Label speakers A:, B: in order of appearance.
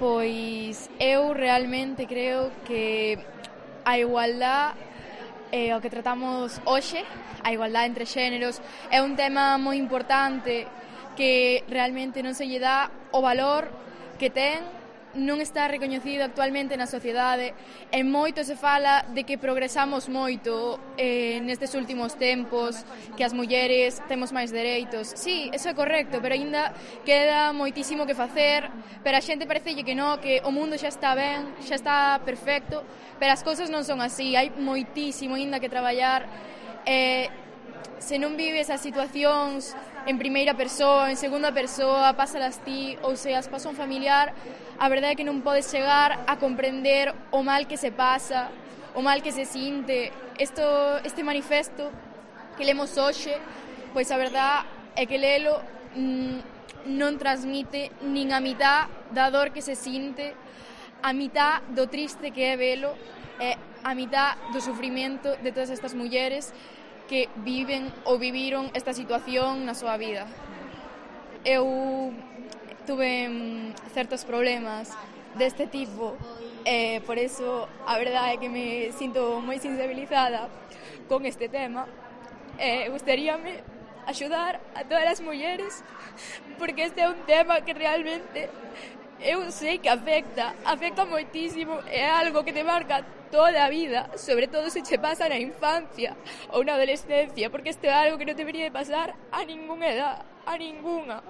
A: Pois eu realmente creo que a igualdad o que tratamos hoxe, a igualdade entre xéneros, é un tema moi importante que realmente non se lle dá o valor que ten, non está recoñecido actualmente na sociedade e moito se fala de que progresamos moito nestes últimos tempos, que as mulleres temos máis dereitos. Sí, eso é correcto, pero aínda queda moitísimo que facer, pero a xente parecelle que non, que o mundo xa está ben, xa está perfecto, pero as cousas non son así, hai moitísimo aínda que traballar. Se non vives as situacións en primeira persoa, en segunda persoa, pásalas ti, ou se as pasa un familiar, a verdade é que non podes chegar a comprender o mal que se pasa, o mal que se sinte. Este manifesto que lemos hoxe, pois a verdade é que lelo non transmite nin a mitad da dor que se sinte, a mitad do triste que é velo, e a mitad do sufrimento de todas estas mulleres que viven ou viviron esta situación na súa vida. Eu tuve certos problemas deste tipo e por eso a verdade é que me sinto moi sensibilizada con este tema e gustaríame axudar a todas as mulleres porque este é un tema que realmente eu sei que afecta moitísimo, é algo que te marca toda a vida, sobre todo se che pasa na infancia ou na adolescencia, porque isto é algo que non debería de pasar a ningunha edad, a ningunha.